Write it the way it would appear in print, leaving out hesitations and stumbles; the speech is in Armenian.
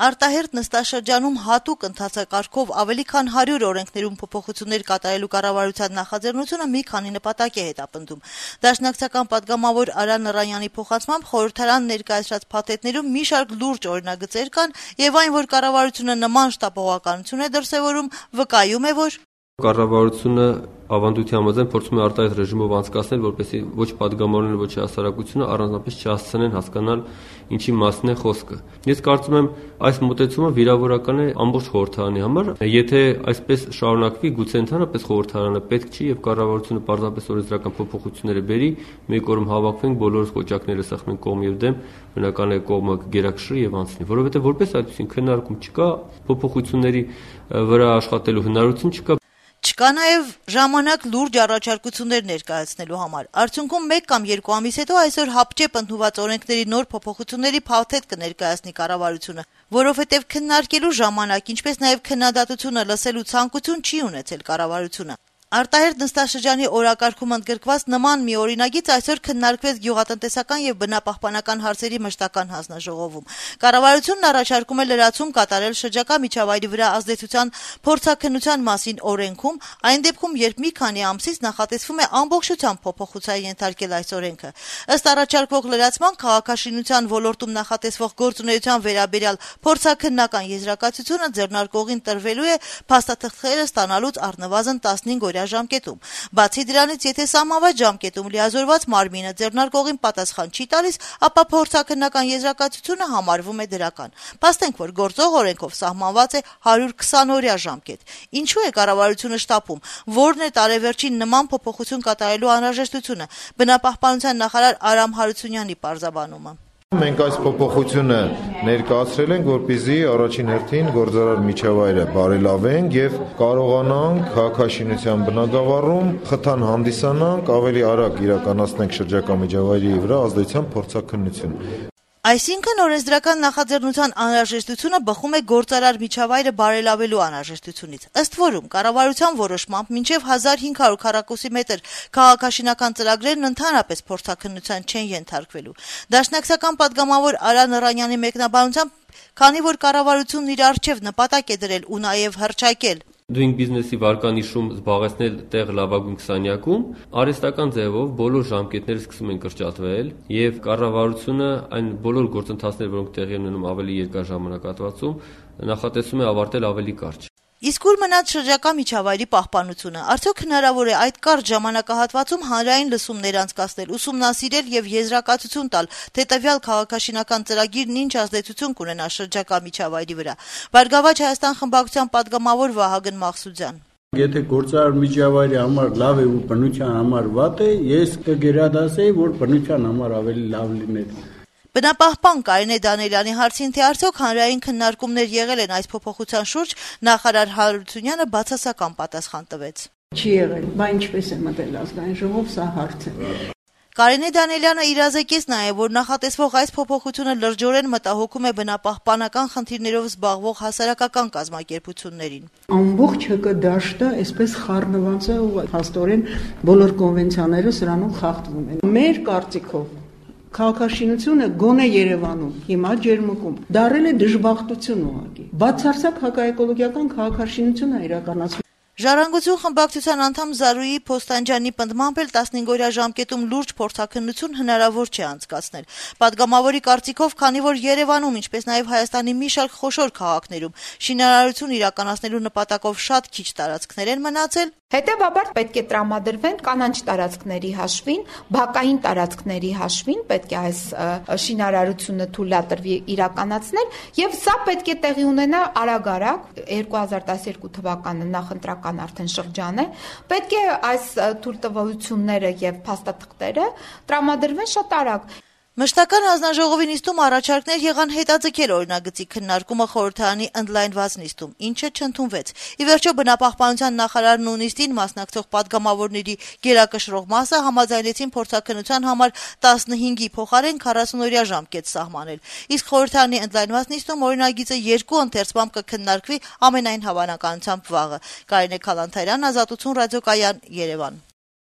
Արտահերթ նստաշրջանում հատուկ ընթացակարգով ավելի քան 100 օրենքներում փոփոխություններ կատարելու կառավարության նախաձեռնությունը մի քանի նպատակ է հետապնդում։ Դաշնակցական պատգամավոր Արա Նռանյանի փոխանցմամբ խորհրդարան ներկայացրած փաթեթներում մի շարք լուրջ օրինագծեր կան, եւ այն, որ կառավարությունը նման շտապողականություն է դրսեւորում, վկայում է, որ կառավարությունը ավանդույթի համաձայն փորձում է արտահայտ ռեժիմով անցկացնել, որպեսզի ոչ падգամավորները, ոչ հասարակությունը առանձնապես չհասցնեն հասկանալ ինչի մասն է խոսքը։ Ես կարծում եմ, այս մոտեցումը վիրավորական է ամբողջ խորհրդարանի համար։ Եթե այսպես շարունակվի, գուցե ընդհանրապես խորհրդարանը պետք չի եւ կառավարությունը պարզապես օրենսդրական փոփոխությունները բերի, մեկ օրում հավաքվենք, բոլորս կոճակները սեղմենք կողմ եւ դեմ, բնական է կողմը գերակշռի եւ անցնի, որովհետեւ որպես այդպեսին քննարկում չկա, փոփոխությունների վրա աշխատելու հնարավորություն չկա։ Չկա նաև ժամանակ լուրջ առաջարկություններ ներկայացնելու համար։ Արդյունքում 1 կամ 2 ամիս հետո այսօր հապճեպ ընդունված օրենքների նոր փոփոխությունների փաթեթ կներկայացնի կառավարությունը, որովհետև քննարկելու ժամանակ, ինչպես նաև քննադատությունը լսելու ցանկություն չի ունեցել կառավարությունը։ Արտահերթ նստաշրջանի օրակարգում ընդգրկված նման մի օրինագիծ այսօր քննարկվեց գյուղատնտեսական եւ բնապահպանական հարցերի մշտական հանձնաժողովում։ Կառավարությունն առաջարկում է լրացում կատարել շրջակա միջավայրի վրա ազդեցության փորձաքննության մասին օրենքում, այն դեպքում, երբ մի քանի ամսից նախատեսվում է ամբողջությամբ փոփոխության ենթարկել այս օրենքը։ Ըստ առաջարկվող լրացման քաղաքաշինության ոլորտում նախատեսվող գործունեության վերաբերյալ փորձաքննական եզրակացությունը ձեռնարկողին տրվելու է փաստաթղթերը ստանալուց առնվազն 15 օրյա ժամկետում։ Բացի դրանից, եթե սահմանված ժամկետում լիազորված մարմինը ձեռնարկողին պատասխան չի տալիս, ապա փորձաքննական եզրակացությունը համարվում է դրական։ Փաստենք, որ գործող օրենքով սահմանված է 120 օրյա ժամկետ։ Ինչու է կառավարությունը շտապում։ Որն է տարեվերջին նման փոփոխություն կատարելու անհրաժեշտությունը։ Բնապահպանության նախարար Արամ Հարությունյանի պարզաբանումը։ Մենք այս փոփոխությունը ներկայացրել ենք, որպեսզի առաջին հերթին գործարար միջավայրը բարելավենք եւ կարողանանք քաղաքաշինության բնագավառում խթան հանդիսանանք, ավելի արագ իրականացնենք շրջակա միջավայրի վրա ազդեցության փորձաքննություն։ Այսինքն օրենսդրական նախաձեռնության անհրաժեշտությունը բխում է գործարար միջավայրը բարելավելու անհրաժեշտությունից։ Ըստ որում, կառավարության որոշմամբ մինչև 1500 քառակուսի մետր քաղաքաշինական ծրագրերն ընդհանրապես փորձաքննության չեն ենթարկվելու։ Դաշնակցական պատգամավոր Արա Նռանյանի մեկնաբանությամբ, քանի որ կառավարությունն իր առջև նպատակ է դրել ու նաև հռչակել Doing Business-ի վարկանիշում զբաղեցնել տեղ լավագույն 20-յակում, արհեստական ձևով բոլոր ժամկետները սկսում են կրճատվել եւ կառավարությունը այն բոլոր գործընթացները, որոնք տեղի են ունենում ավելի երկար ժամանակահատվածում, նախատեսում է ավարտել ավելի կարճ։ Իսկ ուր մնաց շրջակա միջավայրի պահպանությունը։ Արդյոք հնարավոր է այդ կարճ ժամանակահատվածում հանրային լսումներ անցկացնել, ուսումնասիրել եւ եզրակացություն տալ, թե տվյալ քաղաքաշինական ծրագիրն ինչ ազդեցություն կունենա շրջակա միջավայրի վրա։ Բարգավաճ Հայաստան խմբակցության պատգամավոր Վահագն Մաղսուդյան։ Եթե գործարար միջավայրի համար լավ է ու բնության համար վատ է, ես կգերադասեի, որ բնության համար ավելի լավ լիներ։ Բնապահպան Կարինե Դանիելյանի հարցին, թե արդյոք հանրային քննարկումներ եղել են այս փոփոխության շուրջ, նախարար Հարությունյանը բացասական պատասխան տվեց։ Չի եղել, բայց ինչպես է մտել ազգային ժողով, սա հարց է։ Կարինե Դանիելյանը իրազեկեց նաև, որ նախատեսվող այս փոփոխությունը լրջորեն մտահոգում է բնապահպանական խնդիրներով զբաղվող հասարակական կազմակերպություններին։ Ամբողջ ՀԿ դաշտը այսպես խառնված է ու հաստորեն բոլոր կոնվենցիաները սրանով խախտվում են։ Մեր կարծիքով քաղաքաշինությունը գոնե Երևանում, հիմա ջերմուկում, դարել է դժբախտություն ուղղակի։ Բացարձակ հակաէկոլոգիական քաղաքաշինություն է իրականացվում։ Ժառանգություն խմբակցության անդամ Զարուհի Փոստանջյանի պնդմամբ էլ 15 օրյա ժամկետում լուրջ փորձաքննություն հնարավոր չէ անցկացնել։ Պատգամավորի կարծիքով, քանի որ Երևանում, ինչպես նաև Հայաստանի մի շարք խոշոր քաղաքներում շինարարություն իրականացնելու նպատակով շատ քիչ տարածքներ են մնացել, հետևաբար պետք է տրամադրվեն կանաչ տարածքների հաշվին, բակային տարածքների հաշվին պետք է այս շինարարությունը թույլատրվի իրականացնել եւ սա պետք է տեղի ունենա արագ-արագ 2012 թվականը նախընտրական արդեն շրջան է, պետք է այս թույլտվությունները եւ փաստաթղթերը տրամադրվեն շատ արագ։ Մշտական հանձնաժողովի նիստում առաջարկներ եղան հետաձգել օրինագծի քննարկումը խորհրդարանի ընդլայնված նիստում, ինչը չընդունվեց։ Ի վերջո բնապահպանության նախարարն ու նիստին մասնակցող պատգամավորների գերակշռող մասը համաձայնեցին փորձաքննության համար 15-ի փոխարեն 40-օրյա ժամկետ սահմանել։ Իսկ խորհրդարանի ընդլայնված նիստում օրինագիծը 2 ընթերցմամբ կքննարկվի ամենայն հավանականությամբ վաղը։ Կարինե Քալանթարյան, Ազատություն ռադիոկայան, Երևան։